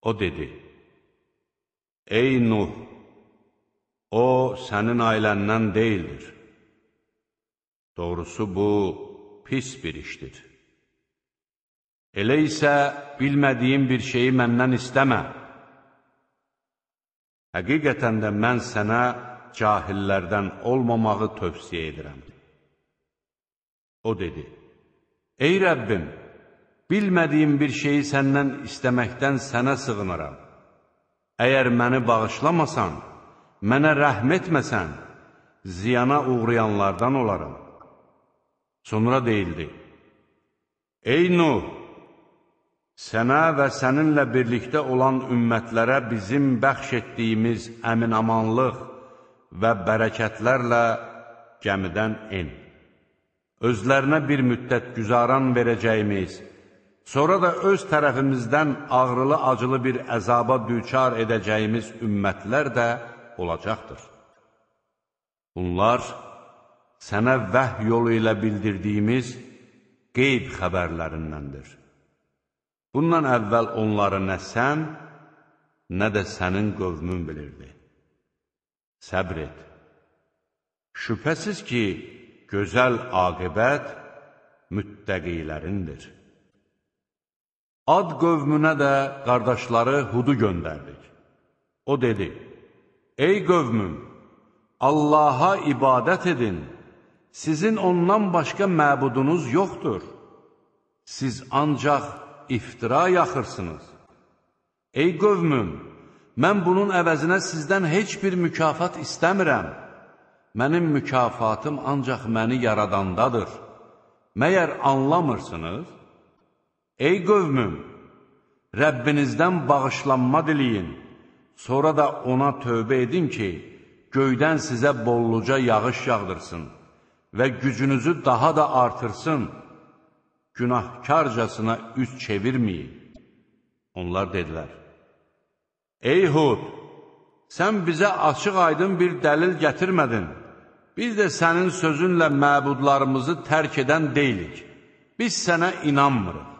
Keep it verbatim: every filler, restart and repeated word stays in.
O dedi, ey Nuh, o sənin ailəndən deyildir. Doğrusu bu pis bir işdir. Elə isə bilmədiyim bir şeyi məndən istəmə. Həqiqətən də mən sənə cahillərdən olmamağı tövsiyə edirəm. O dedi, ey Rəbbim, bilmədiyim bir şeyi səndən istəməkdən sənə sığınaram. Əgər məni bağışlamasan, mənə rəhm etməsən, ziyana uğrayanlardan olaram. Sonra deyildi, ey Nuh, sənə və səninlə birlikdə olan ümmətlərə bizim bəxş etdiyimiz əmin-amanlıq və bərəkətlərlə gəmidən en. Özlərinə bir müddət güzaran verəcəyimiz, sonra da öz tərəfimizdən ağrılı-acılı bir əzaba düçar edəcəyimiz ümmətlər də olacaqdır. Bunlar sənə vəhy yolu ilə bildirdiyimiz qeyb xəbərlərindəndir. Bundan əvvəl onları nə sən, nə də sənin qövmün bilirdi. Səbr et. Şübhəsiz ki, gözəl aqibət müttəqilərindir. Ad qövmünə də qardaşları Hudu göndərdik. O dedi, ey qövmüm, Allaha ibadət edin, sizin ondan başqa məbudunuz yoxdur. Siz ancaq iftira yaxırsınız. Ey qövmüm, mən bunun əvəzinə sizdən heç bir mükafat istəmirəm. Mənim mükafatım ancaq məni yaradandadır. Məyər anlamırsınız? Ey qövmüm, Rəbbinizdən bağışlanma diləyin, sonra da ona tövbə edin ki, göydən sizə bolluca yağış yağdırsın və gücünüzü daha da artırsın. Günahkarcasına üz çevirməyin. Onlar dedilər, ey Hud, sən bizə açıq-aydın bir dəlil gətirmədin. Biz də sənin sözünlə məbudlarımızı tərk edən deyilik. Biz sənə inanmırıq.